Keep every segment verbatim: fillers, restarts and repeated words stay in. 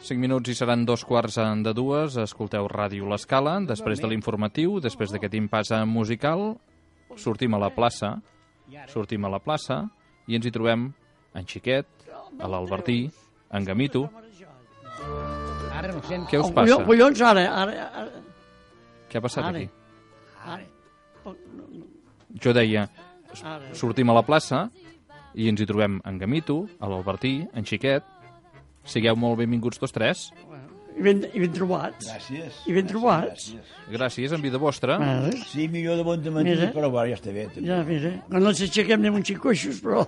cinc minuts i seran dos quarts de dues. Escolteu Ràdio L'Escala. Després de l'informatiu, després d'aquest impàs musical, sortim a la plaça, sortim a la plaça i ens hi trobem en Xiquet, a l'Albertí, en Gamito. Què us passa? Collons, ara, ara, ara. Què ha passat Ara. aquí? Ara. Jo deia, Ara. sortim a la plaça i ens hi trobem en Gamito, a l'Albertí, en Xiquet. Sigueu molt benvinguts tots tres. I ben, i ben trobats. Gràcies. I ben trobats. Gràcies, en vida vostra. Ara. Sí, millor de bon de matí, Mira. però bueno, ja està bé. També. Ja, mira, quan ens aixequem anem un xic coixos, però...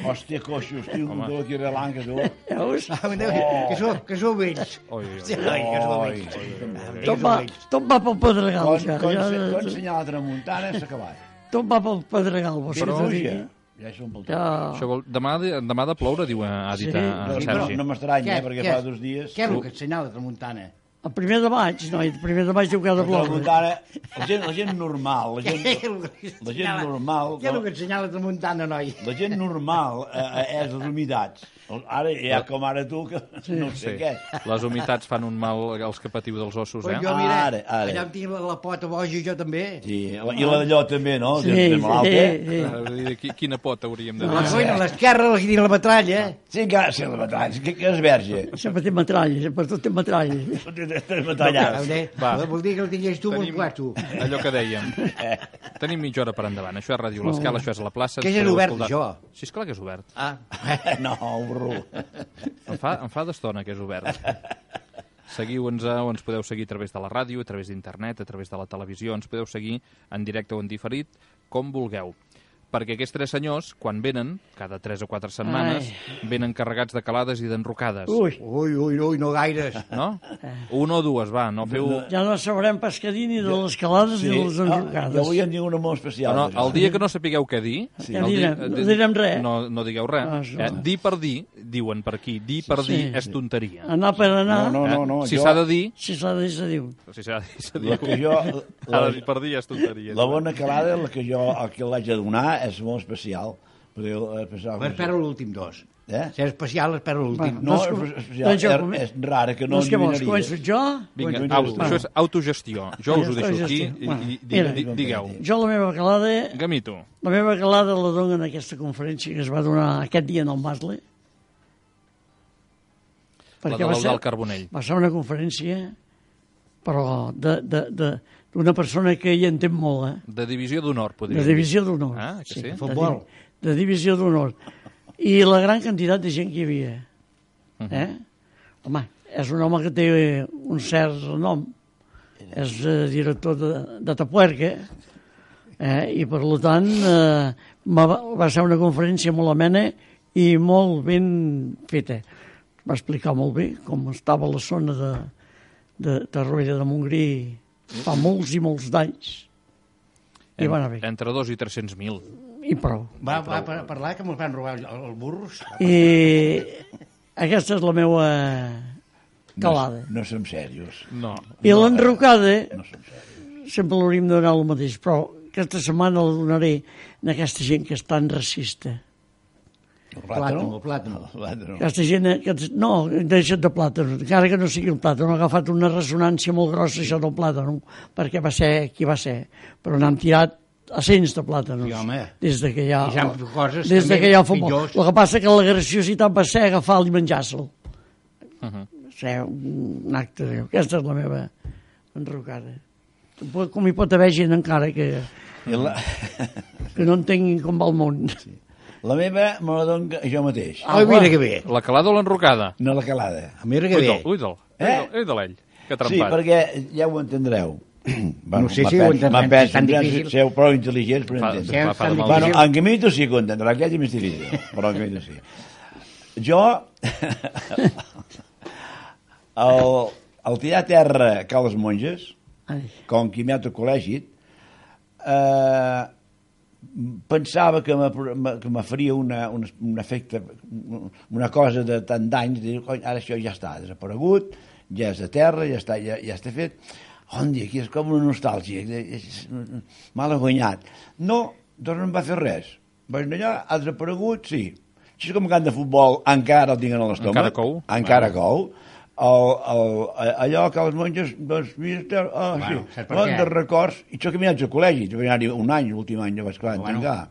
Hòstia, coixos, tio, un dolor aquí relant que tu. Veus? Que sou, que sou vells. Oi, oi, Hòstia, oi. noi, que sou Oi, vells. Tot va, tot va pel pedregal, Quan, ja. quan, ja, se- quan ja, ensenyar la tramuntana s'ha acabat. tot va pel pedregal, vos Però, t'ho ja, dic. ja som pel tot. Ja. Això vol... demà, demà de ploure, diu, ha dit Sí. a, No, a no, Sergi. no m'estranya, Què? eh, perquè Què? fa dos dies... Què és el que ensenyava la tramuntana? El primer de maig, noi, el primer de maig diu que ha de La ploure. tramuntana, la gent, la gent normal, la gent, Què és el que la gent ensenyava- normal, Què és el que ensenyava la tramuntana, noi? la gent normal eh, és les humitats. Ara hi ha com ara tu, que no sé Sí. què. Les humitats fan un mal als que patiu dels ossos, Però eh? jo, mira, Ara, ara. allà em tinc la, la pota boja i jo també. Sí, la- i la d'allò també, no? Sí, De- de sí, malalt, eh? sí. Eh, vull dir, qui- Quina pota hauríem de La dir? coina, l'esquerra, la dins la metralla. Sí, que sí, la batalla, que, que és verge. Sempre té metralla, per tot té metralla. Batallars. Va. Vol dir que el tingués tu amb el quarto. allò que dèiem. Tenim mitja hora per endavant. Això és Ràdio L'Escala, això és a la plaça. Que ens és podeu obert, escoltar. això. Sí, esclar que és obert. Ah, No, burro. Em fa, em fa d'estona que és obert. Seguiu-nos o ens podeu seguir a través de la ràdio, a través d'internet, a través de la televisió. Ens podeu seguir en directe o en diferit, com vulgueu. Perquè aquests tres senyors, quan venen, cada tres o quatre setmanes, venen carregats de calades i d'enrocades. Ui, ui, ui, ui, no gaires. No? Una o dues, va, no feu... ja no sabrem pescadir ni de les calades ni de les Ah, enrocades. jo avui en dic una molt especial. No, d'això. el dia que no sapigueu què dir... Sí. el Ja dia- direm, no direm res. No, no digueu res. Ah, això. Eh? Dir per dir, diuen per aquí, dir per Sí. dir és tonteria. Anar per anar, No, no, Eh? no, si jo- s'ha de dir... si s'ha de dir, se diu. Si s'ha de dir, s'ha de La dir. que jo... Ha La, de dir per dir és tonteria. la bona calada, la que jo, el que l'haig de donar, és molt especial. Perquè, eh, especial Però espero l'últim dos. Eh? Si és especial, espero l'últim. Va. No, Doncs és com- especial. doncs jo és, com- és rara, que no Doncs què vols, endevinaries. començo jo? Vinga, Bueno, au, bueno. això és autogestió. Jo us ho deixo aquí i, Bueno, i, i, mira. di- digueu. Jo la meva calada, Gamito, la meva calada la dono en aquesta conferència que es va donar aquest dia en el Masle. la de l'Eudald Carbonell. va ser una conferència, però de, de, de, d'una persona que hi entén molt, eh? De divisió d'honor, podríem De dir. divisió d'honor. Ah, que sí? de Futbol. di- De divisió d'honor. I la gran quantitat de gent que hi havia. Eh? Home, és un home que té un cert nom. És eh, director de, de Tapuerca. Eh? I, per tant, eh, va, va ser una conferència molt amena i molt ben feta. Va explicar molt bé com estava la zona de, de Torroella de Montgrí fa molts i molts d'anys. I va anar bé. Entre dos i tres-cents mil. I prou. Va, va par- parlar que mos van robar el, el burros. I aquesta és la meva calada. No, no som serios. No. I l'enrocada No som serios. sempre l'hauríem de donar el mateix, però aquesta setmana la donaré a aquesta gent que és tan racista. El Plàtano, el plàtano. El plàtano. Aquesta gent, que, no, deixa't de plàtano, encara que no sigui el plàtano, ha agafat una ressonància molt grossa això del plàtano, perquè va ser qui va ser, però n'han tirat a cents de plàtanos. Sí, home. Des de que hi ha, I s'han fet coses des de també que hi ha futbol. pitjors. El que passa que la graciositat va ser agafar-lo i menjar-se'l. Uh -huh. Va ser un acte greu. Aquesta és la meva enrocada. Com hi pot haver gent encara que, I la, que no entenguin com va el món. la meva me la dono jo mateix. Ah, mira que bé. La calada o l'enrocada? No la calada. Mira que Uida'l, bé. uida'l. Eh? Uida'l ell. Que Sí, trempat. perquè ja ho entendreu. Bueno, No sé si ho entendrem, m'apenso, és tan difícil. Seu prou intel·ligents per Fa, entendre. fa, fa de Bueno, mal. Bueno, en Gamito sí que ho entendrà, aquell és més difícil, però en Gamito sí. Jo, el, el tirar a terra Cal les Monges, Ai, com que m'ha tot col·legi, eh, pensava que me, que me faria una, un, un efecte, una cosa de tant d'anys, dir, ara això ja està desaparegut, ja és de terra, ja està, ja, ja està fet. On dia, aquí és com una nostàlgia, m'ha guanyat. No, doncs no em va fer res. Vaig anar allà, ha desaparegut, sí. Així com camp de futbol encara el tinc a l'estómac. Encara cou? Encara cou. El, el, allò que els monges, doncs, mira, oh, Bueno, sí, saps per bon què? de records. I això que m'hi al col·legi, jo vaig anar-hi un any, l'últim any, ja vaig clar, Bueno. tancar.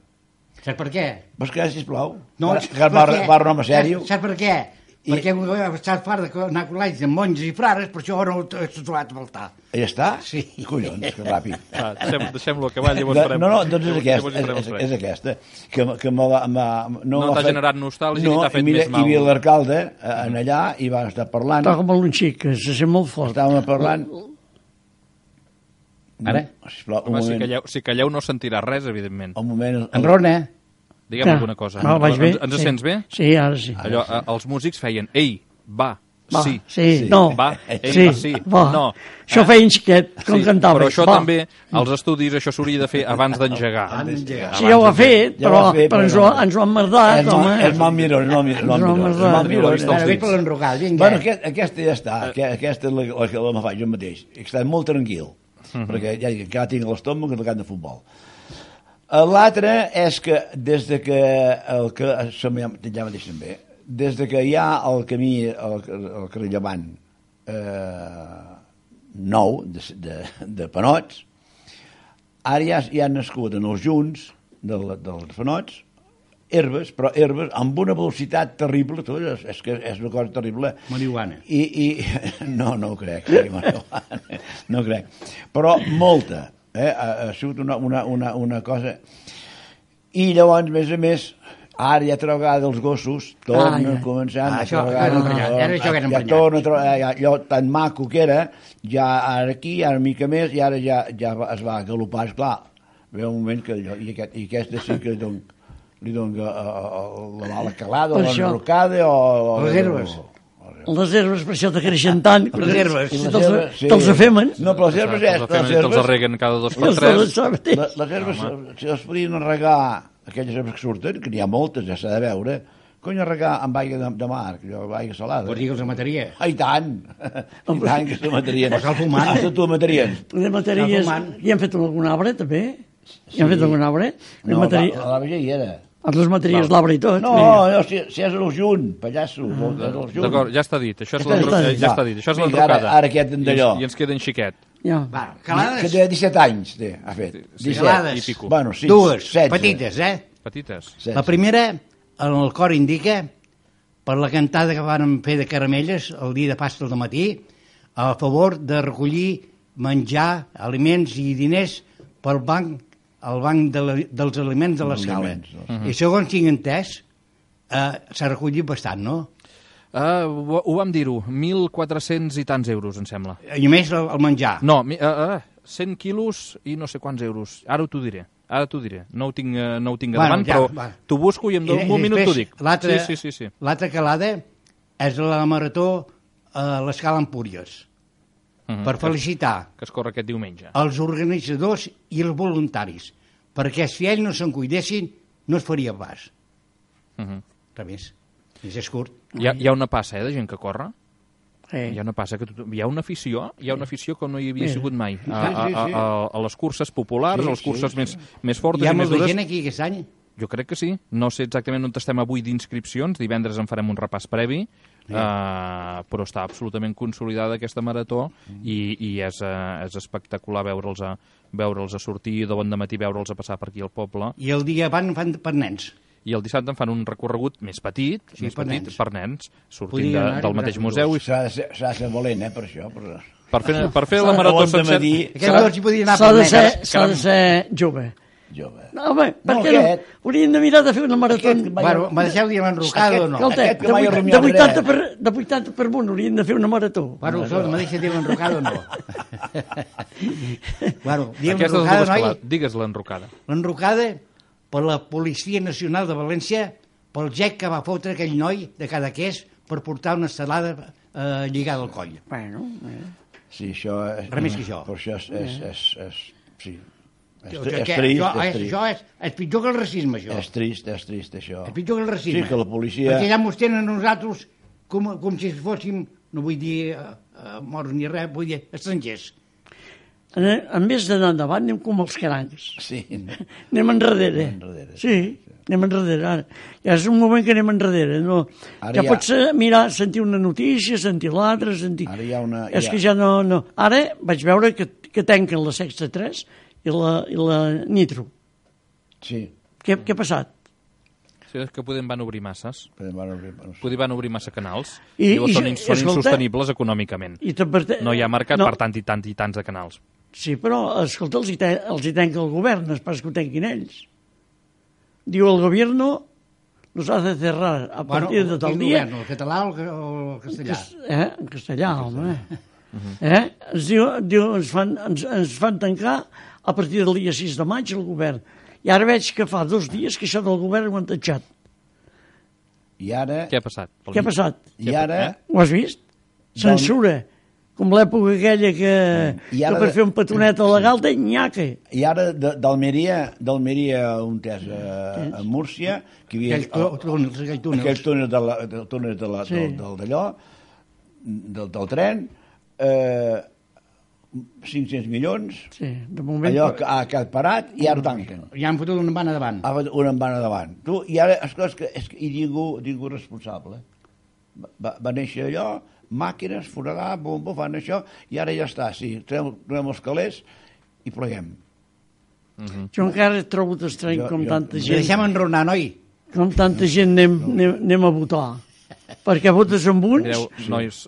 Saps per què? Vols que, sisplau? No, que, saps que per va, què? va renom a sèrio? Saps, saps per què? I- Perquè estàs fart d'anar a col·legis amb monges i frares, per això no t'ho has trobat a faltar. Ja està? Sí. Collons, que ràpid. Va, deixem, deixem-lo acabar, llavors De, farem... no, no, doncs és llavors- aquesta, llavors hi farem és, res. és aquesta, que, que me, va- me, no, No m'ha t'ha fet- generat nostàlgia no, ni t'ha fet i mira, més mal. Hi havia l'alcalde eh, en allà i van estar parlant, Està com un xic, que se sent molt fort. estàvem parlant... Ara? Sisplau, un Home, si moment, calleu, si calleu no sentirà res, evidentment. un moment... En Rona, Digue'm Que- alguna cosa. No, vaig bé. Ens, ens sí. sents bé? Sí, ara sí. Allò, eh, els músics feien, ei, va, Va, sí, sí, sí. no. va, ei, sí, va, sí, va. no. Això Eh? feien xiquet, com Sí, cantava. però això va. també, als estudis, això s'hauria de fer abans d'engegar. Abans d'engegar. Sí, ja ho ha fet, Ja ho però, ha fet, però ens, però ho, no. ens ho han merdat, És, mal, home. és mal miró, és mal miró. És mal És mal miró, és miró. mal miró. Ho he vist als Ara, dits. ve per l'enrocat, vinga. Bueno, aquest, aquesta ja està, uh, aquesta és la, la que la me faig jo mateix. I estic molt tranquil, uh -huh. perquè ja, ja tinc a l'estómac el camp de futbol. L'altre és que des de que el que ja mateix també, des de que hi ha el camí, el, el carrer Llevant eh, nou de, de, de Panots, ara ja, ja han nascut en els junts del, dels Panots herbes, però herbes amb una velocitat terrible, tu, és, és que és una cosa terrible. Marihuana. I, i no, no ho crec, sí, marihuana, no ho crec. Però molta, eh? ha, ha sigut una, una, una, una cosa... I llavors, a més a més, ara ja altra vegada els gossos tornen Ah, ja. començant... Ah, això, altra això és vegada, emprenyat, ara això que és ja emprenyat. torna a trobar, ja, allò tan maco que era, ja ara aquí, ara una mica més, i ara ja, ja es va galopar, esclar, ve un moment que allò, i, aquest, i aquesta sí que li don, li don uh, uh, la mala calada, Per la això. enrocada o... o Les herbes. o- Les herbes per això te creixen tant. Les herbes. I Si les te'ls herbes, sí. te'ls afemen. No, però les herbes... Els és- femen les i te'ls herbes, arreguen cada dos per Els tres. te'ls saben. les, les herbes, si les podien regar, aquelles herbes que surten, que n'hi ha moltes, ja s'ha de veure, cony regar amb aigua de, de mar, allò, amb aigua salada. Vols dir que els mataria? Ah, i tant! I tant que se matarien. Pues al fumant. Ah, tu matarien. De matèries... fumant. I han fet algun arbre, també? I han fet algun arbre? De No, matèria... la, la vella hi era. Els dos matèries l'arbre i tot. No, no, si, si és el junt, pallasso. Ah, és el junt. D'acord, ja està dit. Això és Ja està l'enro- dit. eh, ja està dit. Això és Vinga, ara- l'enrocada. ara aquest en d'allò. I, ens- I ens queda en xiquet. Ja. Va, Que calades, té disset anys, té, ha fet. Sí, disset. calades. i pico. Bueno, sí, dues, setze. petites, eh? Petites. setze. La primera, en el cor indica, per la cantada que vàrem fer de caramelles el dia de Pasqua al matí, a favor de recollir menjar, aliments i diners pel banc, el banc de la, dels aliments de l'escala. aliments, doncs. I segons tinc entès, eh, s'ha recollit bastant, no? Uh, ho, ho vam dir-ho. mil quatre-cents i tants euros, em sembla. I a més el, el menjar. No, mi- uh, uh, cent quilos i no sé quants euros. Ara t'ho diré. Ara t'ho diré. No ho tinc, uh, no ho tinc a Bueno, davant, ja, però va. t'ho busco i en I- un i minut després, t'ho dic. l'altra- Sí, sí, sí, sí. L'altra calada és la marató a l'escala Empúries, Mhm. per felicitar Que es corre aquest diumenge. els organitzadors i els voluntaris, perquè si ells no se'n cuidessin, no es faria pas. Mhm. Res més. És, és curt. Hi ha, hi ha una passa, eh, de gent que corre. Sí. Hi ha una passa que tothom... Hi ha una afició, hi ha una afició com no hi havia Sí. sigut mai. A, Sí, a, sí, sí. a, a, a les curses populars, Sí, a les curses sí, més, sí. més fortes Hi ha i més molta dures. gent aquí aquest any. Jo crec que sí. No sé exactament on estem avui d'inscripcions. Divendres en farem un repàs previ. Uh, però està absolutament consolidada aquesta marató i, i és, uh, és espectacular veure'ls a, veure'ls a sortir de bon dematí, veure'ls a passar per aquí al poble. I el dia van fan per nens. I el dissabte en fan un recorregut més petit, Sí, més per petit nens. per nens, sortint Podrien de, anar-hi del mateix amb museu. I S'ha de, ser, s'ha de ser valent, eh, per això. Per... per fer, per fer la marató Bon sencera... dematí, Aquests dos hi podien anar S'ha per de, nens. ser, s'ha de ser jove. jove. No, home, per No, què no? aquest. Hauríem de mirar de fer una marató... Aquest que mai- Bueno, me deixeu dir l'enrocada o no? Escolta, Aquest que de, mai ha vuit- rumiat de, vuitanta res. per, de vuitanta per amunt hauríem de fer una marató. Bueno, això, me deixa dir l'enrocada o no? bueno, diem Aquestes l'enrocada, dues noi? calades. Digues l'enrocada. L'enrocada per la Policia Nacional de València, pel gec que va fotre aquell noi de Cadaqués per portar una estelada eh, lligada al coll. Bueno, eh. Sí, això... És, Res més que això. Per això és... és, és, és sí. És, O tri- sigui és que trist, això, és és, trist. això és, és pitjor que el racisme, això. És trist, és trist, això. És pitjor que el racisme. Sí, que la policia... Perquè ja mos tenen a nosaltres com, com si fóssim, no vull dir uh, uh, morts ni res, vull dir estrangers. En, en vez d'anar endavant, anem com els crancs. Sí. Anem enrere. Anem enrere, Sí, anem enrere. Ara. Ja és un moment que anem enrere. No? Ara Ja ja- pots eh, mirar, sentir una notícia, sentir l'altra, sentir... Ara hi ha una- És hi ha- que ja no, no... Ara vaig veure que, que tanquen la Sexta tres i la, i la Nitro. Sí. Què, què ha passat? Sí, és que podem van obrir masses. Però, bueno, no sé. Podem van obrir massa canals. I- I, llavors i- són, ins- són escolta- insostenibles econòmicament. I també- No hi ha mercat no, per tant i tant i tants de canals. Sí, però, escolta, els hi, te, els hi tanca el govern, no és pas que ho tanquin ells. Diu el gobierno nos hace cerrar a partir de tal quin dia... govern, el català o el, o el castellà? Eh? En castellà, home. Eh? Ens, diu, diu, ens, fan, ens, ens fan tancar a partir del dia sis de maig el govern. I ara veig que fa dos dies que això del govern ho han tatxat. I ara... Què ha passat? Pel Què ha mig? passat? I ara... Ho has vist? Censura. Com l'època aquella que, I ara que per de- fer un petonet legal té nyaca. I ara de- d'Almeria, d'Almeria on és a, a Múrcia, que hi havia... Aquells tu- túnels, aquells túnels. Aquells túnels de la, de, túnels de la, Sí. del, del, d'allò, del, del tren, eh, cinc-cents milions, Sí, de moment... allò que ha quedat parat i ara ho tanquen. Ja han fotut una bana davant. Ha fet una en van davant. Tu, I ara, escolta, és que, és que, i ningú, ningú responsable. Va, va néixer allò, màquines, foradar, bum, bum, fan això, i ara ja està, sí, trem, trem els calés i pleguem. Jo encara trobo estrany Jo- com jo- tanta Ens gent... deixem enronar, noi. Com tanta gent anem, anem, anem a votar. Perquè votes amb uns... Mireu, nois,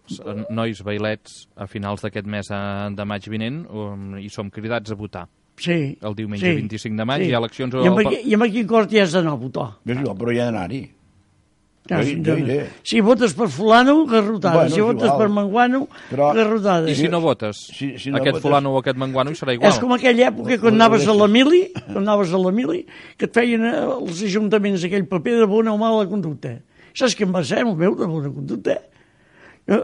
nois bailets, a finals d'aquest mes eh, de maig vinent, um, i som cridats a votar. Sí. El diumenge vint-i-cinc de maig hi ha eleccions I amb, al- aquí, i amb quin cort hi has d'anar a votar? Ves, jo, però hi ha d'anar-hi. Ja, Jo- si, jo iré. si votes per fulano, garrotada. Bueno, si és votes igual. per manguano, Però- garrotada. I si no votes? Si- si no aquest votes- fulano o aquest manguano hi serà igual. És com aquella època quan anaves a la mili, quan anaves a la mili, que et feien eh, els ajuntaments aquell paper de bona o mala conducta. Saps què em va ser el meu de bona conducta? Jo,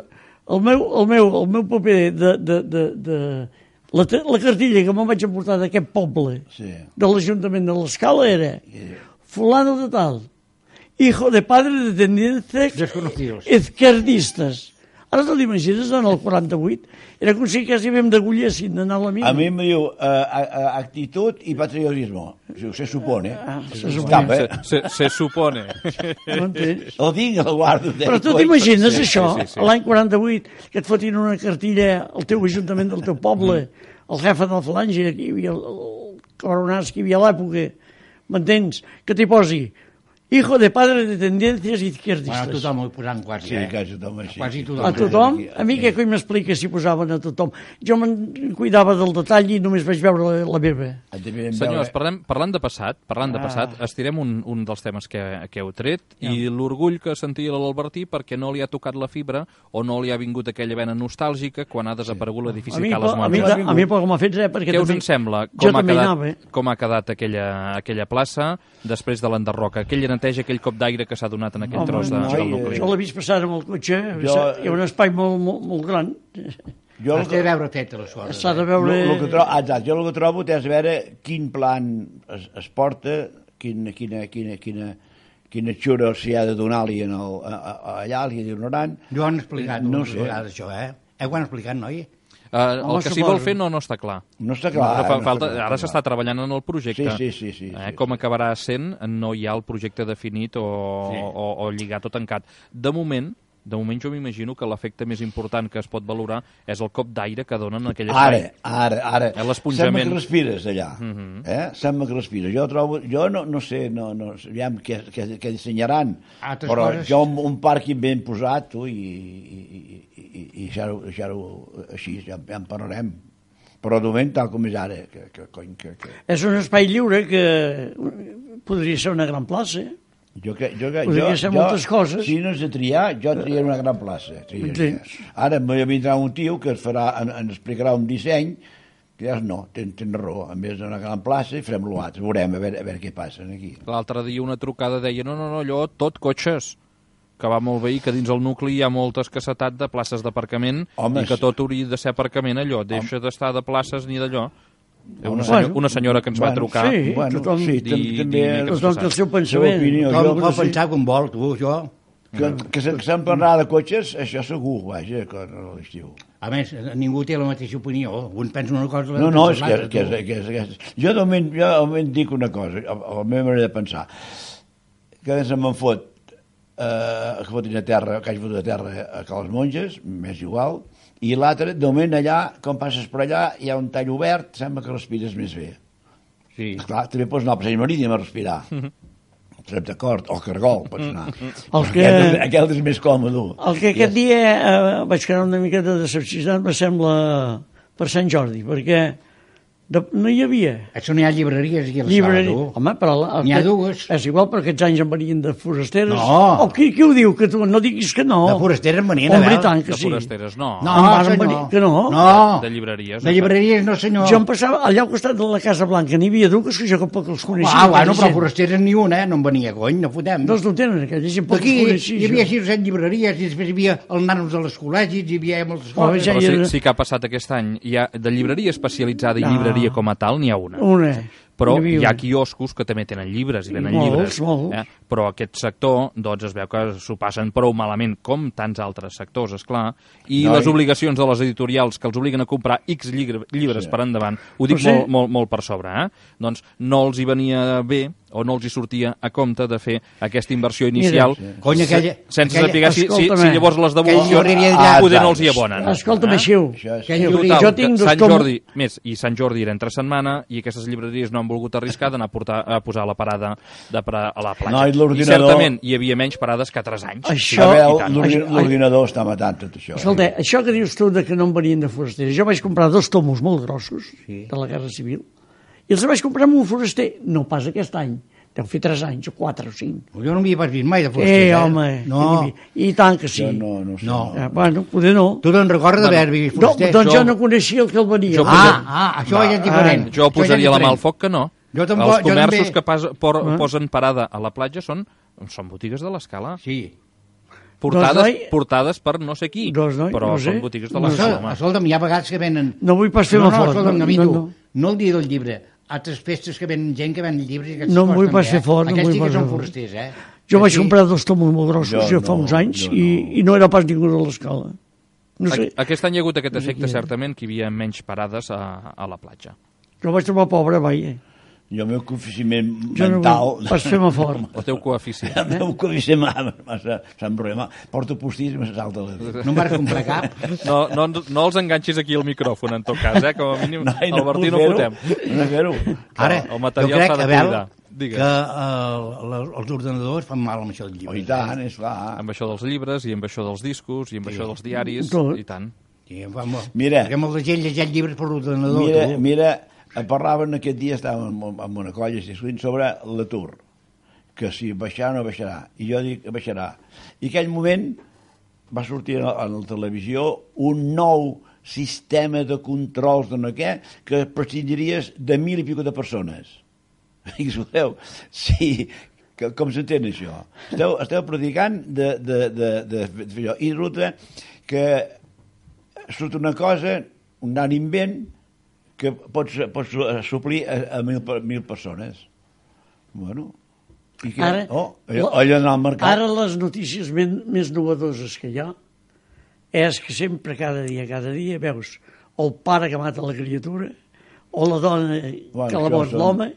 el, meu, el, meu, el meu paper de... de, de, de la, te- la cartilla que me'n vaig emportar d'aquest poble, Sí. de l'Ajuntament de l'Escala, era fulano de tal, hijo de padre de tendencias Desconocidos. izquierdistas. Ara te l'imagines, en el quaranta-vuit? Era com si quasi havíem d'agullessin d'anar a la mina. A mi em diu uh, uh, actitud i patriotismo. Se supone. Ah, se supone. Escapa, Se, eh? se, se supone. No entens? El tinc, el guardo. Però tu t'imagines Sí, sí, això, sí, sí. l'any quaranta-vuit, que et fotin una cartilla al teu ajuntament del teu poble, el jefe de la falange, que hi havia el, el coronats que hi havia a l'època, m'entens? Que t'hi posi hijo de padre de tendencias Bueno, izquierdistas. tothom ho posant quasi, Sí, eh? quasi tothom així. Quasi tothom. A tothom? A mi què coi m'explica si posaven a tothom? Jo me'n cuidava del detall i només vaig veure la, la meva. Senyors, parlem, parlant de passat, parlant de passat, estirem un, un dels temes que, que heu tret i l'orgull que sentia l'Albertí perquè no li ha tocat la fibra o no li ha vingut aquella vena nostàlgica quan ha desaparegut l'edifici A mi, Cales a mi, Montres. a mi poc m'ha fet res, perquè Què us també, en sembla? jo Com ha, també hi quedat, anava. eh? com ha quedat aquella, aquella plaça després de l'enderroca? Aquella neteja, aquell cop d'aire que s'ha donat en aquell Home, tros de, no, del i, nucli. Jo l'he vist passar amb el cotxe, Jo- hi ha un espai molt, molt, molt gran. Jo el Has de veure feta les coses. S'ha de Lo, veure... lo que trobo, exacte, jo el que trobo té a veure quin plan es, es porta, quina, quina, quina, quina, quina xura s'hi ha de donar-li en el, a, a, allà, li ignorant. Jo ho han explicat No moltes sé. vegades, això, eh? Eh, ho han explicat, noi? Uh, Home, el que s'hi suposo. vol fer no, no està clar. No està clar. No, fa, no falta, està clar, ara no s'està treballant en el projecte. Sí, sí, sí, sí, eh, sí, com sí. acabarà sent, no hi ha el projecte definit o, Sí. o, o lligat o tancat. De moment, de moment jo m'imagino que l'efecte més important que es pot valorar és el cop d'aire que donen en aquell Ara, espai. ara, ara. Eh, l'esponjament. Sembla que respires allà. eh? Sembla que respires. Jo trobo, jo no, no sé, no, no, aviam què, què, què dissenyaran, Altres però coses- jo un, un pàrquing ben posat, tu, i, i, i, i, i deixar-ho deixar així, ja, ja en parlarem. Però de moment, tal com és ara, que, que, cony, que, que... És un espai lliure que podria ser una gran plaça. Jo, que, jo, que, Podria jo, ser jo, moltes coses. Si no és de triar, jo triaré una gran plaça. Triaria. Entens? Ara em vindrà un tio que es farà, en, ens explicarà un disseny que ja no, tens, tens raó, en vez d'una gran plaça farem l'altre, veurem a veure, a veure què passa aquí. L'altre dia una trucada deia no, no, no, allò tot cotxes, que va molt bé i que dins el nucli hi ha molta escassetat de places d'aparcament Home, i que sí. tot hauria de ser aparcament allò, deixa d'estar de places ni d'allò. Una, senyor, una senyora que ens va Bueno, trucar. sí, Bueno, tothom, sí, Di- tam- di- també... di- tothom té el seu pensament. opinió. Tothom Jo- pot sí. pensar com vol, tu, jo. Que, que se- que se'n parlar de cotxes, això segur, vaja, que no a l'estiu. A més, ningú té la mateixa opinió. Un pensa una cosa... No, l'altre no, pensa és que, l'altra, que, és, tu. que, és, que és... Jo de moment, jo de moment dic una cosa, a, a la meva manera de pensar, que se me'n fot, eh, que fotin a terra, que hagi fotut a terra a Cales Monges, m'és igual, i l'altre, de moment allà, quan passes per allà, hi ha un tall obert, sembla que respires més bé. Sí. Esclar, també pots anar al Passeig Marítim a respirar. Estarem d'acord, o Cargol, pots anar. El que- Aquest, és- aquest és més còmode. El que aquest dia eh, vaig quedar una miqueta decepcionat me sembla per Sant Jordi, perquè de, no hi havia Això no hi ha llibreries aquí a la llibreria. sala, tu. Home, però... la- N'hi ha aquest- dues. És igual, però aquests anys en venien de forasteres. No. O qui, qui ho diu? Que tu no diguis que no. De forasteres en venien, Home, a i veure. tant que De sí. forasteres, no. No, Em varen senyor. venir- que no. No. De llibreries. De llibreries no, senyor. Jo em passava allà al costat de la Casa Blanca, n'hi havia dues que jo tampoc els coneixia. Ah, bueno, aquella però gent. forasteres ni una, eh? No en venia, cony, no fotem. Doncs no tenen, aquella gent poc Aquí els coneixia. hi havia jo. sis o set llibreries i després hi havia els nanos de les col·legis, hi havia moltes Oh, coses. ja Però hi sí, era- sí que ha passat aquest any. Hi ha, de llibreria especialitzada i Ah. llibreria com a tal, n'hi ha una. Una. Però N'hi havia hi ha una. quioscos que també tenen llibres i venen Molts, llibres. molts. Eh? Però aquest sector, doncs, es veu que s'ho passen prou malament, com tants altres sectors, és clar. I No, les i- obligacions de les editorials que els obliguen a comprar X llibre, llibres Sí. per endavant, ho dic Però sí. molt, molt, molt per sobre, eh? Doncs no els hi venia bé o no els hi sortia a compte de fer aquesta inversió inicial Mira, sí. Cony, aquella- sense aquella- saber si, si, si escolta'm, llavors les aquella devolucions llibreria d'allà- poder no Ah, els hi abonen. Escolta'm, Eh? Aixiu. Això és- Aquella Total, llibreria- jo tinc que dos Sant tomos- Jordi, més, i Sant Jordi era entre setmana i aquestes llibreries no han volgut arriscar d'anar a, portar, a posar la parada de pra, a la platja. No, i I l'ordinador- certament hi havia menys parades que altres anys. Això- A i veure, tant. l'ordi- Ai- l'ordinador està matant tot això. Escolta, això que dius tu de que no en venien de forasters, jo vaig comprar dos tomos molt grossos Sí. de la Guerra Civil i els vaig comprar amb un foraster, no pas aquest any, deu fer tres anys, o quatre o cinc. Jo no m'hi pas vist mai de Eh, foraster. home, No, i, i tant que sí. Jo no, no sé. No. Eh, bueno, poder no. tu te'n recordes Bueno, d'haver vist No, foraster? doncs jo- jo no coneixia el que el venia. Jo Ah, ah, això ja és diferent. Jo Això ja és posaria la mà al diferent. foc que no. Jo tampoc- Els jo comerços també- que pas, por, Ah. posen parada a la platja són, són botigues de l'escala. Sí. Portades, Doncs, noi, portades per no sé qui, doncs, noi, però no sé. són botigues de No l'escala, Escolta, home. escolta'm, hi ha vegades que venen... No vull pas fer no, no, fort. escolta'm, no, Gavito, no, no, no. no el dia del llibre, altres festes que venen gent que ven llibres i aquestes No em coses vull també, pas fer eh? fort, no em Aquests vull sí que pas són fer fort. forasters, eh? Jo vaig Aquí- comprar dos tomos molt grossos Jo jo, fa no, uns anys jo i, no. i no era pas ningú de l'escala. No sé, A- Aquest any hi ha hagut aquest No sé efecte, qui era. certament, que hi havia menys parades a, a la platja. jo vaig trobar pobre, vaja. Jo el meu coeficient Jo no mental... vull pas fer-me fort. El teu coeficient. El meu coeficient massa s'embrema. Porto postís i me salta la... No em vas comprar cap. No, no, no els enganxis aquí al micròfon, en tot cas, eh? Com a mínim, No, i el Bertí no puc fotem. fer-ho. No fer-ho. Ara, el material jo crec, s'ha de Abel, cuidar. Digues. que uh, la- els ordenadors fan mal amb això del Oh, llibre. i tant, és clar. Amb això dels llibres, i amb això dels discos, i amb això dels diaris, Tot. i tant. Sí, em fa molt. Mira. Perquè molta gent llegeix llibres per l'ordenador. Mira, tu. mira, parlaven aquest dia, estàvem amb, amb una colla discutint sobre l'atur, que si baixarà o no baixarà. I jo dic que baixarà. I en aquell moment va sortir a la, a la televisió un nou sistema de controls de no què, que prescindiries de mil i pico de persones. I sabeu, sí, que, com s'entén això? Esteu, esteu predicant de, de, de, de, de fer això. I resulta que surt una cosa, un gran invent, que pots, pots suplir a, a mil, per- mil persones. Bueno, i què? Ara, oh, allò, allò en el mercat. Ara les notícies men, més novedoses que hi ha és que sempre, cada dia, cada dia, veus el pare que mata la criatura o la dona Bueno, que la això mort són- l'home.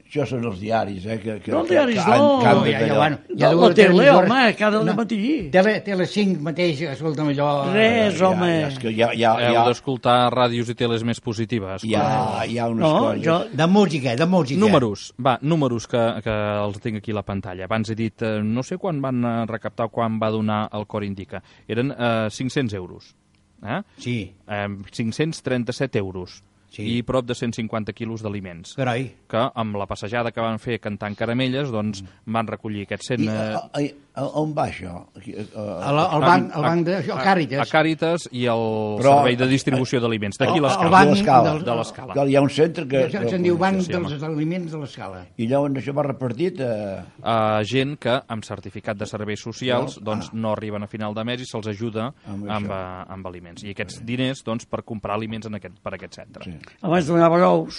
Això són els diaris, eh? Que, que, No, els diaris que, no. que han No, de ja, ja, allò. bueno, No, ja la dues tele, televisores- home, cada no, matí. Tele, tele cinc mateix, escolta'm allò... Res, Ja, home. ja, és que hi ha, hi ha, hi Heu ha, d'escoltar ràdios i teles més positives. hi ha, hi ha unes No, coses. jo, De música, de música. Números, va, números que, que els tinc aquí a la pantalla. Abans he dit, eh, no sé quan van eh, recaptar o quan va donar el Cor Indica. Eren eh, cinc-cents euros. Eh? Sí, Eh, cinc-cents trenta-set euros. Sí. I prop de cent cinquanta quilos d'aliments. carai. Que amb la passejada que van fer cantant caramelles, doncs van recollir aquests cent... I, eh, a, a, a, on va això? Aquí, a, a, El, el banc, el banc de... A a Càritas. Càritas i el Però- servei de distribució d'aliments. D'aquí El- el l'escala. banc l'escala. del- De l'escala. Clar, hi ha un centre que... Se'n se'n diu Banc sí, dels home. Aliments de l'Escala. I llavors això va repartit a... A gent que amb certificat de serveis socials No? doncs, Ah. no arriben a final de mes i se'ls ajuda Amb amb, això. amb, amb aliments. I aquests diners doncs, per comprar aliments en aquest, per aquest centre. Sí. Abans donava ous.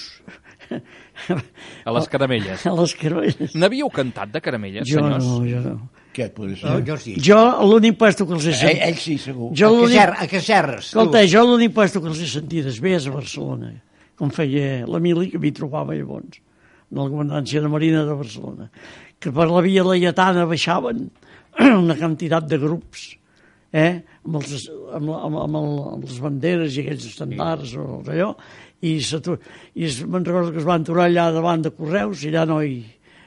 A les caramelles. A les caramelles. N'havíeu cantat de caramelles, Jo senyors? no, jo no. Què et podria ser? Jo, jo sí. Jo l'únic puesto que els he Ell, sentit... ell sí, segur. Jo A l'únic... Cacer- a Cacerres. tu. Escolta, jo l'únic puesto que els he sentit és bé és a Barcelona, com feia l'Emili, que m'hi trobava llavors, de la comandància de Marina de Barcelona, que per la via laietana baixaven una quantitat de grups, eh? amb, els, amb, amb, amb, el, amb les banderes i aquells estandards o allò, i, i es, me'n recordo que es van aturar allà davant de Correus i allà no hi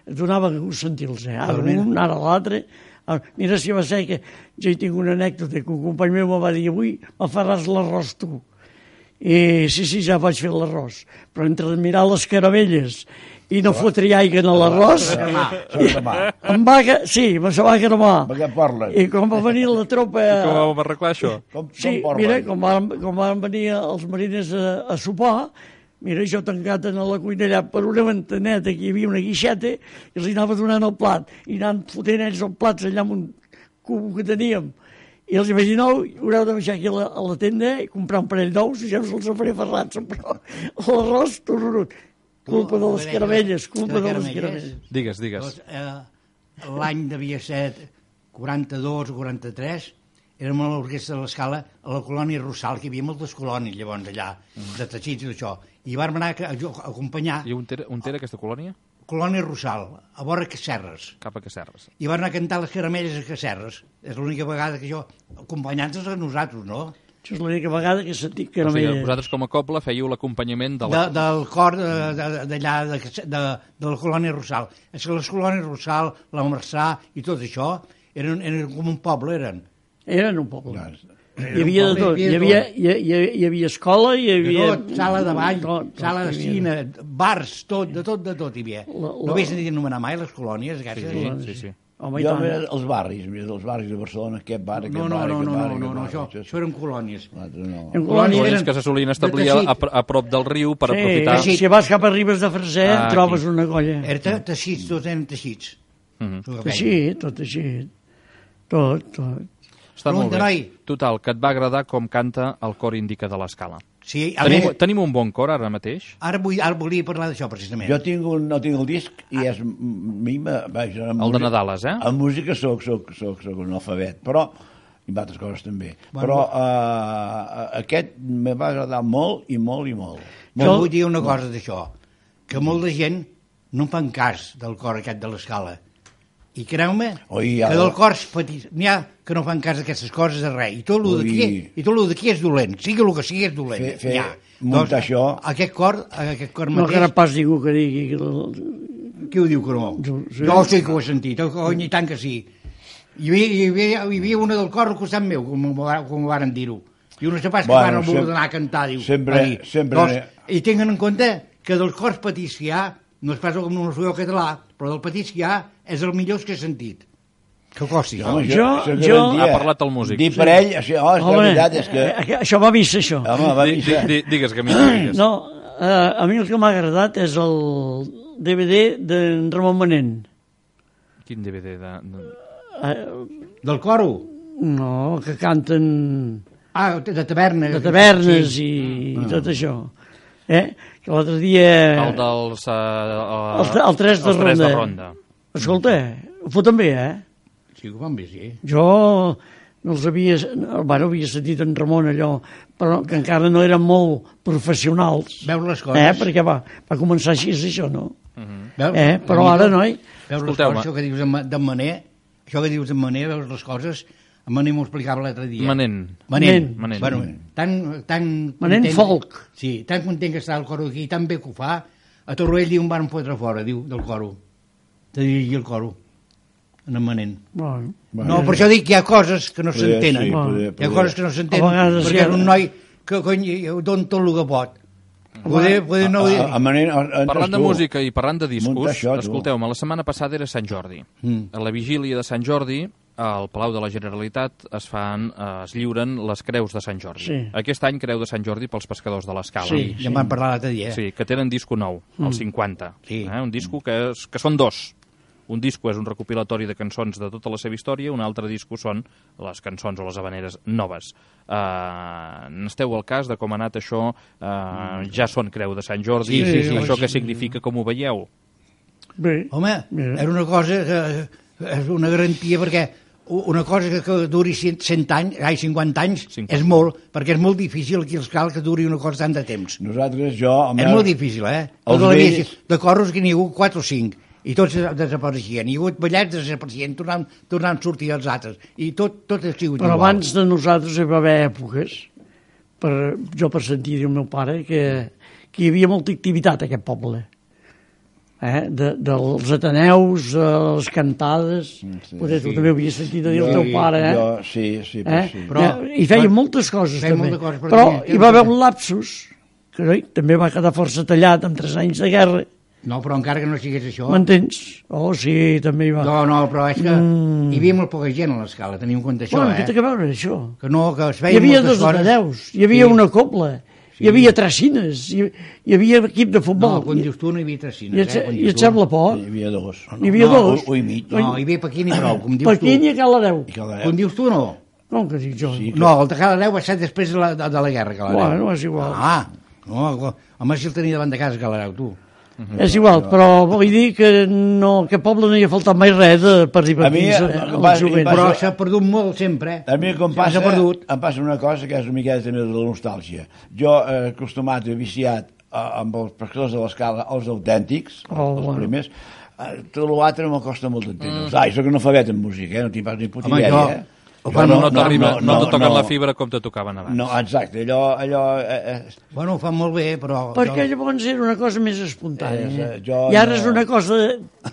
donava gust sentir-los, eh? Ara un, ara l'altre. Mira si va ser que jo hi tinc una anècdota que un company meu me va dir avui me faràs l'arròs tu. I sí, sí, ja vaig fer l'arròs, però entre mirar les caramelles i no fotre aigua en l'arròs em va... Sí, me se va cremar. Per què parlen? I com va venir la tropa... I com vam arreglar això? Com, Sí, com mira, parlen? com van, com van venir els mariners a, a sopar, mira, jo tancat en la cuina allà per una ventaneta, que hi havia una guixeta, i els anava donant el plat, i anant fotent ells els plats allà amb un cubo que teníem. I els vaig dir, no, haureu de baixar aquí a la, a la tenda i comprar un parell d'ous i ja us els faré ferrats, però l'arròs, tururut. Culpa de les caramelles, culpa de les caramelles. Digues, digues. Doncs, eh, l'any devia ser quaranta-dos o quaranta-tres, érem a l'Orquestra de l'Escala a la colònia Rossal, que hi havia moltes colònies llavors allà, de teixits i d'això, i vam anar a, a acompanyar I on era, on era aquesta colònia? colònia Rossal, a vora Cacerres, Cap a Cacerres. i van anar a cantar les caramelles a Cacerres. És l'única vegada que jo, acompanyant-nos a nosaltres, no? Això és l'única vegada que he sentit O sigui, caramelles. vosaltres com a coble fèieu l'acompanyament de De, la... del cor de- de- d'allà, de, de, de, de la colònia Rossal. És que les colònies Rossal, la Marçà i tot això eren, eren com un poble, eren. Eren un poble. Ja, Hi havia de tot. Hi havia, hi, hi, hi havia escola, hi De havia... tot, sala de ball, tot, tot, sala de hi havia. cine, bars, tot, de tot, de tot hi havia. La- la- No havies sentit anomenar mai les colònies, aquestes? Sí, sí, sí. Home, i jo, tant. mira, els barris, mira, els barris de Barcelona, aquest bar, aquest No, no, bar, no, aquest no, bar, no, aquest no, no, bar, això, aquest això eren colònies. L'altre no. En Colònies Colònies eren que se solien establir de a, teixit. a, a prop del riu per Sí, aprofitar... teixit. si vas cap a Ribes de Freser Ah, trobes aquí. una colla. Era teixits, tots eren teixits. Mhm. Tot el que Així, tot així. Tot, tot. Està molt Pregunta, bé. noi. Total, que et va agradar com canta el cor Indica de l'Escala. Sí, a Tenim, més, tenim un bon cor ara mateix? ara, vull, ara volia parlar d'això, precisament. Jo tinc un, no tinc el disc i és... A mi, me- vaja, en El de música- Nadales, eh? En música soc, soc, soc, soc un alfabet, però i en altres coses també. Bueno, Però uh, aquest me va agradar molt i molt i molt. Jo Jo- vull dir una cosa d'això, que molta gent no en fan cas del cor aquest de l'Escala. I creu-me Oi, ja- que del cor petit n'hi ha que no fan cas d'aquestes coses de res. I tot el Ui. d'aquí i tot el d'aquí és dolent. Sigui el que sigui és dolent. Fer- fer- N'hi ha. muntar això- Aquest cor, aquest cor No mateix... que ara pas ningú que digui que... el- Qui ho diu que no? Jo- sí. Jo sí que ho he sentit, oh, cony, i tant que sí. Hi havia, hi havia, hi havia una del cor al costat meu, com, m'ho va- com ho varen dir-ho. I una sepàs que Bueno, van voler sem- anar a cantar, diu. sempre- va dir. sempre- Doncs, I tinguin en compte que dels cors petits que hi ha, no és pas com no soy català, però del petits que hi ha és el millor que he sentit. Que costi. Home, Jo- això que jo- vam dir, Ha parlat el músic. Dir per ell, això, oh, és que la veritat és que... eh, això va a missa, això. Home, va Di, dir di, di, digues, que m'hi digues. No, eh, a mi el que m'ha agradat és el D V D d'en Ramon Manent. Quin D V D de... de... Eh, Del coro? no, que canten Ah, de tavernes. de tavernes Sí. i, i tot això. Eh? Que l'altre dia... El dels... Uh, El, el tres de els tres ronda. de ronda. Escolta, ho foten bé, eh? Sí, ho van bé, sí. Jo no els havia... Bueno, havia sentit en Ramon allò, però que encara no eren molt professionals. Veus les coses. Eh? Perquè va, va començar així, això, no? Veus? Eh? Però ara, noi... Veus les Escolteu-me. coses, això que dius en Ma- d'en Mané, això que dius en Mané, veus les coses, en Mané m'ho explicava l'altre dia. Manent. Manent. Manent. Bueno, tan, tan Manent content- folk. Sí, tan content que està el coro aquí, tan bé que ho fa, a Torroell diu, em van fotre fora, diu, del coro. De dirigir el coro. En en Manent. Bueno, Bueno, No, per això dic que hi ha coses que no Poder, s'entenen. sí, Bueno. poder, Hi ha poder. coses que no A s'entenen, vegades perquè hi ha- és un noi que, cony, don tot el que pot. Poder, poder no... A, a, a manera, a, Parlant de tu. música i parlant de discos, Munta això, tu. escolteu-me, la setmana passada era Sant Jordi. Mm. A la vigília de Sant Jordi, al Palau de la Generalitat es fan, eh, es lliuren les creus de Sant Jordi. Sí. Aquest any creu de Sant Jordi pels pescadors de l'Escala. Sí. Ja en van parlar l'altre dia. Sí, que tenen disco nou, el cinquanta. Sí. Eh? Un disco que, és, que són dos. Un disco és un recopilatori de cançons de tota la seva història, un altre disco són les cançons o les habaneres noves. Uh, N'esteu al cas de com ha anat això? Uh, ja són Creu de Sant Jordi. Sí, sí, sí. Això què significa, com ho veieu? Bé. Home, era una cosa que és una garantia, perquè una cosa que, que duri cent anys, ai, cinquanta anys, cinquanta. És molt, perquè és molt difícil aquí els cal que duri una cosa tant de temps. Nosaltres, jo... És molt difícil, eh? Els Tota vells... De corros que n'hi ha hagut quatre o cinc, i tots desapareixien. Hi ha hagut ballets, desapareixien, tornant, tornant a sortir els altres. I tot, tot ha sigut Però igual. abans de nosaltres hi va haver èpoques, per, jo per sentir del meu pare, que, que hi havia molta activitat a aquest poble. Eh? De, dels Ateneus, a les cantades, sí, potser tu sí. també ho havies sentit a dir Jo- el teu pare, eh? Jo, sí, sí, eh? sí. Però- I feien però- moltes coses, feien també. moltes coses, però però tenia- hi va haver un lapsus, que oi, també va quedar força tallat amb tres anys de guerra, No, però encara que no sigués això... m'entens? Oh, sí, també hi va. No, no, però és que Mm. hi havia molt poca gent a l'escala, teniu en compte això, Bueno, eh? què té a veure això? Que no, que es Hi feien havia moltes dos coses... Ateneus, hi havia Sí. una cobla, hi havia tracines, hi, hi havia equip de No, futbol. quan dius tu no hi havia tracines, I et, eh? Quan i dius et tu. sembla por? Hi havia dos. Hi havia No, dos. un i mig. No, hi havia Pequín i prou, com dius Pequín tu. i Caladeu. I que la- Com dius tu, no? Com que dic jo? Sí. No, el de Caladeu va ser després de la, de, de la guerra, Caladeu. Bueno, és igual. Ah, no, home, si el tenia davant de casa, Caladeu, tu. És igual, però vull dir que no, que poble no hi ha faltat mai res de, per divertir-se A mi, eh, em al va- jovent. em va- Però s'ha perdut molt sempre. A mi com S'ha passa, perdut. em passa una cosa que és una miqueta també de la nostàlgia. Jo, eh, acostumat i viciat eh, amb els pescadors de l'escala, els autèntics, Oh, els bueno. primers, eh, tot l'altre m'ho costa molt d'entendre. Mm. Ai, soc analfabet en música, eh? No tinc pas ni puta Home, idea, jo- eh? Bueno, no, no, t'arriba- no, no, te toquen no. la fibra com te tocaven abans. No, exacte, allò... allò eh, eh, Bueno, ho fan molt bé, però... Perquè llavors era una cosa més espontània. Eh, jo I ara no- és una cosa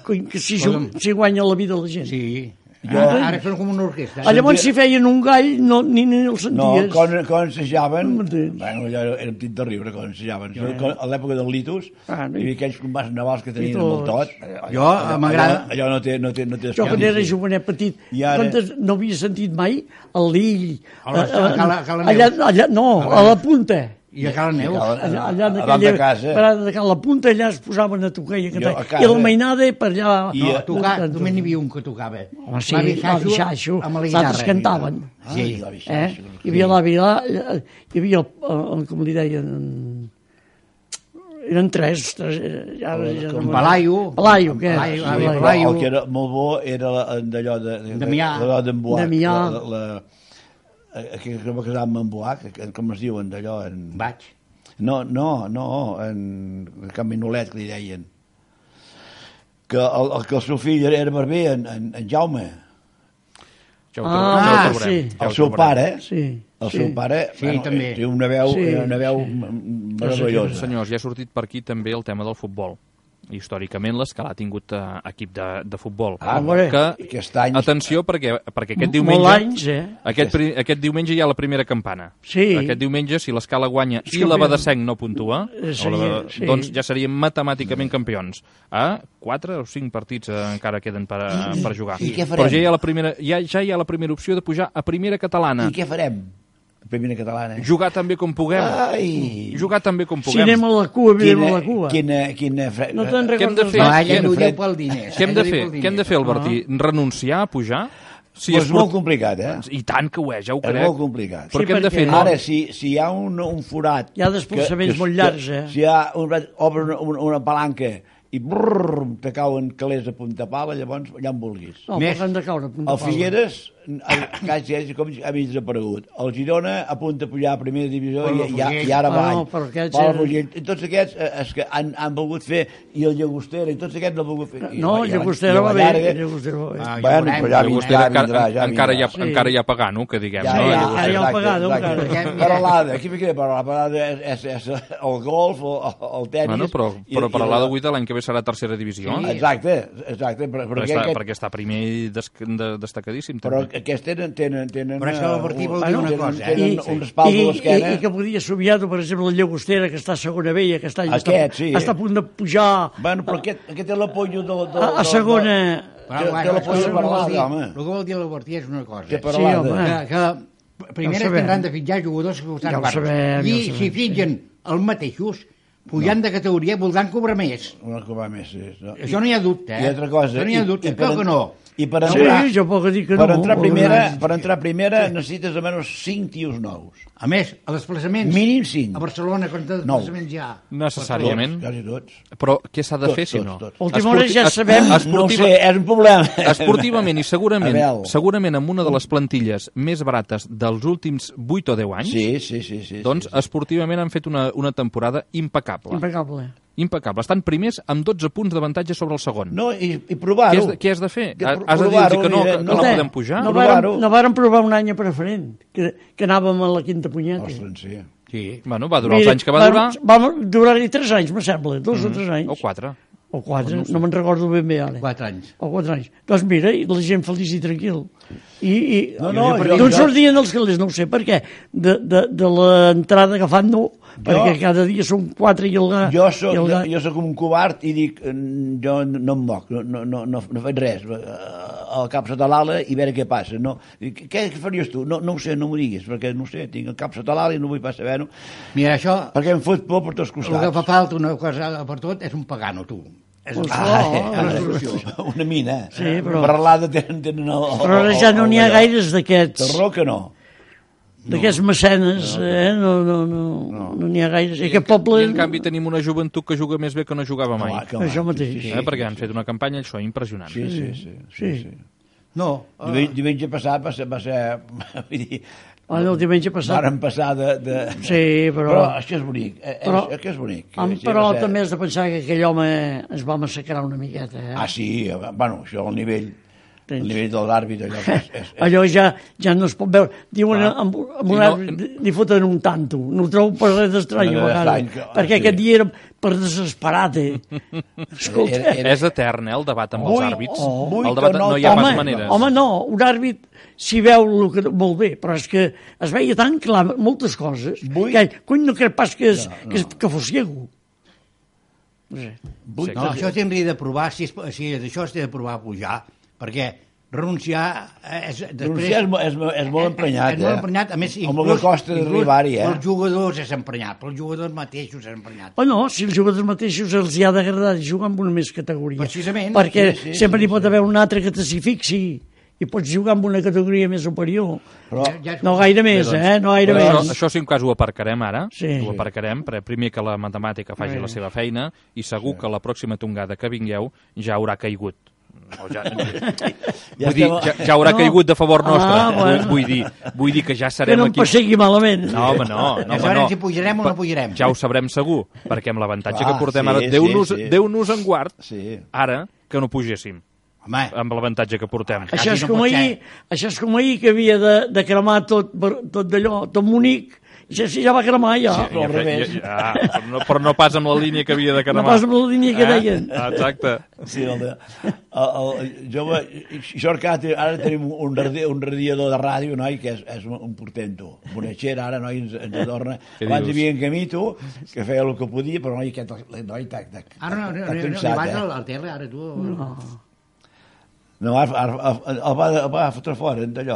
que s'hi ju- s'hi guanya la vida la gent. Sí. Jo- Ara, ara són com una orquestra. Ah, llavors si feien un gall no, ni, ni el no, senties. quan, quan ensejaven... No m'entens. Bueno, allò era, era un tit de riure quan ensejaven. Quan, a l'època del litus, Ah, no. hi havia aquells combats navals que tenien I amb el tots. tot. Allò- Jo, allò- m'agrada- Allò, allò no té, no té, no té Jo quan escàndol, era sí. jovenet petit, I ara- quantes, no havia sentit mai el Lill. A la- eh, eh, a Cala- a Cala allà, Neus. allà, no, a la punta. I a Cala Neus. Cala- Allà, allà en a dalt de aquella casa. parada de Cala Punta, allà es posaven a tocar i a cantar. Jo, a I casa. la mainada per allà... I No, a- a tocar, només n'hi havia un que tocava. Home, sí, L'avi l'avi Xaixo, amb la els altres guitarra. cantaven. Sí, l'avi Eh? Xaixo. Hi havia l'avi, la- hi havia, el, el, com li deien, eren tres, tres ja, ja, Com Palaio. Palaio, què? Palaio, Sí, avi Palaio. Palaio. El que era molt bo era la- d'allò de... de, de Damià. de, d'en Buac. Damià. La, la, la, que, que va casar amb en Buac, que- com es diuen d'allò? En... Vaig. No, no, no, en Can Minolet, que li deien. Que el, el, que el seu fill era, era barber, en, en, en Jaume. Ja ho, Ah, trobarem, ja ho trobarem. sí. Ja ho El seu trobarem. pare, Sí, el sí. seu pare, Sí, també. té una veu, Sí, una veu sí. m- meravellosa. Senyors, ja ha sortit per aquí també el tema del futbol. Històricament l'Escala ha tingut eh, equip de, de futbol. Ah, Hombre, que, aquest any... atenció, perquè, perquè aquest Molt diumenge... anys, eh? Aquest, pri- aquest diumenge hi ha la primera campana. Sí. Aquest diumenge, si l'Escala guanya És i la campió. Badesenc no puntua, Eh, o seria- la, sí. doncs ja seríem matemàticament campions. A quatre o cinc partits eh, encara queden per, a- per jugar. I què farem? Però ja hi, ha la primera, ja, ja hi ha la primera opció de pujar a primera catalana. I què farem? Primera catalana. Jugar també com puguem. Ai! Jugar també com Si puguem. anem a la cua, anem a la cua. Quina, quina, fre... No te'n Què hem de recordes? fer? No, mai? ella Quin ho fred. diu pel diners. Què hem de Ella ho fer? diu pel Què hem de diners. fer, Albertí? Renunciar a pujar? Si Pues és molt port- complicat, eh? I tant que ho és, ja ho És crec. molt complicat. Però Sí, què hem de perquè- fer? No? Ara, si, si hi ha un, un forat... Hi ha desplaçaments molt llargs, eh? Si hi ha un, obre una, una, una palanca i brrr, te cauen calés a punta pala, llavors allà on vulguis. No, Més. parlem de caure. a punta El pala. Figueres, el, quasi és com ha mig desaparegut. El Girona a punt de pujar a primera divisió i, i, i ara Ah, avall. no, però aquests Palafrugell. eren- I tots aquests eh, és que han, han volgut fer, i el Llagostera, i tots aquests no han volgut fer. I, No, i a la- Llagostera i a va la bé. llarga- Llagostera va bé. Ah, ja Bueno, veurem. però ja Llagostera vindrà, encara, vindrà, ja encara, hi ha, vindrà. encara hi ha pagano, que diguem. Ja, no? ja, Llagostera. ja, ja. exacte, pagado, exacte. encara. Paralada, aquí m'hi queda parlar, paralada és, és, és el golf, el, el tenis... Bueno, però, i- però i per la- l'A de vuit l'any que ve serà tercera divisió. Sí. Exacte, exacte, però, però, Perquè està, aquest, perquè està primer i des, de, destacadíssim. però També. aquests tenen... tenen, tenen Però és que eh, l'Albertí vol un- dir una tenen- cosa, eh? Tenen I, un respaldo i, a l'esquena. i, i que podia somiar, per exemple, el Llagostera, que està a segona B i aquest any Aquest, està, sí. està a punt de pujar Bueno, però aquest, aquest té l'apollo del... del, a, a del- segona... Però, Té- bueno, té la és que polla el que vol parlada, dir- home. El que vol dir l'Albertí és una cosa. Té Sí, parlada. home. que, que primer Ja ho es sabem. tindran de fitjar jugadors que costaran Ja ho barres. sabem, ja I ho sabem, si fitgen els mateixos, pujant de categoria voldran cobrar més. Una cobrar més, sí. No. Això no hi ha dubte, eh? I altra cosa... Això no hi ha dubte, crec que no. I per Sí, entrar, jo puc dir que per no. entrar primera, per entrar primera necessites almenys cinc tios nous. A més, a desplaçaments... Mínim cinc. A Barcelona, quants Nou. desplaçaments hi ha? Necessàriament. Tots, quasi tots. Però què s'ha de Tots, fer, si tots, no? tots. Última hora Esporti- ja es- sabem. No ho esportiva- sé, és un problema. Esportivament i segurament, Abel. segurament amb una de les plantilles més barates dels últims vuit o deu anys, Sí, sí, sí. sí doncs sí, sí. esportivament han fet una, una temporada impecable. Impecable. Impecable. Estan primers amb dotze punts d'avantatge sobre el segon. No, i, i Què has, provar-ho. de, què has de fer? De Has pro- has de dir provar-ho, que no, que, mira, que no no sé. podem pujar? No Provar-ho. vàrem, no vàrem provar un any a preferent, que, que anàvem a la quinta punyeta. Ostres, sí. Sí. Bueno, va durar els anys que va durar, Va durar-hi tres anys, me sembla, dos o tres anys. o quatre. O quatre, no me'n recordo ben bé ara. Quatre anys. O quatre anys. Doncs mira, i la gent feliç i tranquil. I, i No, no, i jo- d'on jo- sortien els calés? No ho sé, per què? De, de, de l'entrada que fan no, perquè cada dia són quatre i el ga... Jo soc, i el jo, ga... jo soc un covard i dic, mm, jo no em moc, no, no, no, no, no faig res, eh, el cap sota l'ala i veure què passa. No, Dic, què faries tu? No, no ho sé, no m'ho diguis, perquè no ho sé, tinc el cap sota l'ala i no vull pas saber-ho, Mira, això, perquè em fot por per tots el que costats. fa falta una cosa per tot és un pagano, tu. És Pues ah, no, és una solució. Una mina. Sí, però- Per l'ala tenen, tenen el, el, Però ara ja no n'hi ha el- gaires El d'aquests, raó que no. d'aquests mecenes, eh? No n'hi no, no, no n'hi ha gaires. I aquest I poble... en canvi tenim una joventut que juga més bé que no jugava mai. Clar, clar. Això mateix. Eh? Perquè han fet una campanya, això, impressionant. Sí, sí, sí. sí, Sí. sí. No, Diumenge, diumenge passat va ser... Va ser vull dir, Ah, no, el diumenge passat. vàrem passar de... de... Sí, però... Però això és bonic. eh, Però- és, és bonic. Am, Sí, però va ser- també has de pensar que aquell home es va massacrar una miqueta, eh? Ah, sí, bueno, això al nivell, Tens. al nivell de l'àrbit, allò és, és, és, Allò ja, ja no es pot veure. Diuen, Clar. amb, amb I un no- àrbit li foten un tanto. No ho trobo per res d'estrany, No, a vegades. estrany, que- Perquè sí. aquest dia era per desesperat, eh? Escolta, Era- era- És etern, eh, el debat amb els Vuit- àrbits. oh, vuit el debat o nou no hi ha home, pas maneres. home, no, un àrbit s'hi veu el que, molt bé, però és que es veia tan clar moltes coses Vuit- que, cony, no crec pas que, és, No, no. que, és- que fos ciego. No sé. vuit, no, això s'hauria de provar, si, és, si és això s'ha de provar a pujar, perquè renunciar és, després, Renunciar és, mo- és, mo- és molt emprenyat, és molt eh? emprenyat, a més, Amb el que costa inclús d'arribar-hi, eh? pels jugadors és emprenyat, pels jugadors mateixos és emprenyat. O no, si els jugadors mateixos els hi ha d'agradar jugar amb una més categoria. Precisament. Perquè Sí, sí, sempre sí, n'hi pot haver un altre que t's'hi fixi i pots jugar amb una categoria més superior. Però, Ja- ja és- No gaire més, doncs, eh? No gaire Però això, més. això si un cas ho aparcarem ara, Sí. ho aparcarem, perquè primer que la matemàtica faci Sí. la seva feina i segur que la pròxima tongada que vingueu ja haurà caigut. O ja, Ja vull dir, estem- ja, ja haurà No. caigut de favor nostre. Ah, bueno. vull, vull, dir, vull dir que ja Que serem no em aquí... passegui malament. No, home, no. no, Ja home, sabrem no. si pujarem o no pujarem. Ja ho sabrem segur, perquè amb l'avantatge Clar, que portem sí, ara... sí, Déu-nos sí. Déu-nos en guard, Sí. ara, que no pugéssim, Home, amb l'avantatge que portem. Això Quasi és, no com pot ahir, ser. això és com ahir que havia de, de cremar tot, tot d'allò, tot Munic, i ja, sí, ja va cremar ja. Ja, al revés. ja, ja, però, no, però no pas amb la línia que havia de cremar. No pas amb la línia que deien. Ah, exacte. Sí, el de, el, el, jo, això que ara, ara tenim un, radi, un radiador de ràdio, noi, que és, és un, un portento. Bonatxera, ara, noi, ens, ens adorna. Què Abans dius? hi havia en Camito, que feia el que podia, però noi, aquest, noi, tac, tac, ara no, no, no, tac, no, no, cansat, vas eh? al, al tele, ara tu... No. No, ara, ara, ara, el, va, el va fotre fora, d'allò.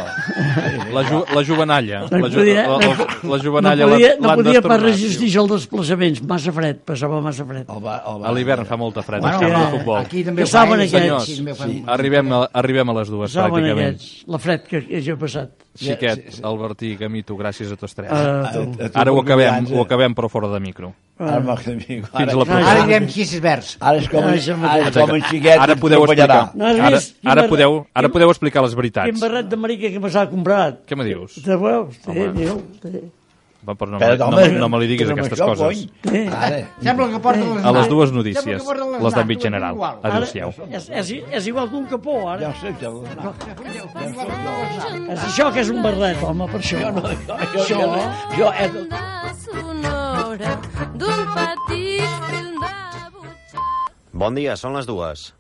La, ju, la jovenalla. No La, ju, podia, la, la, la juvenalla no podia, no l'han podia pas destornat, resistir tio. els desplaçaments, massa fred, passava massa fred. El va, el va, A l'hivern fa molta fred, Bueno, bueno, sí, de eh, futbol. aquí també Que saben fa, aquests. Senyors, aquí també fa- sí. Arribem a, arribem a les dues, Saben pràcticament. aquests, la fred que, que jo he passat. Xiquet, Sí, sí. Albertí, Camito, gràcies a tots tres. Uh, A- tu. a tu Ara ho per acabem, confiança. ho acabem però fora de micro. Ara, m'ha- amic, Fins ara, la Ah, propera. Ara direm xisses verds. ara és com, Ah, això ara és mateix. com en xiquet. Ara que podeu ens explicar. atropellarà. No has Ara, vist? ara, Quin podeu, barret- ara podeu explicar les Quin veritats. barret de marica que me s'ha comprat. Què me dius? Te veus? Sí, Home. diu, sí. Va, però no, Però, me- no, home, me- no me li diguis però aquestes això, coses. cony. Sí. Ara, Sembla que porta les A les dues Sembla notícies, que porta les les d'àmbit naps, general. igual. Ara, Adéu-siau. és, és, és igual que un capó, ja ara. ho sé, ja ho sé. És això que és un barret, home, per això. Jo, no, jo, jo, jo, jo, és, sonora d'un petit film de butxaca. Bon dia, són les dues.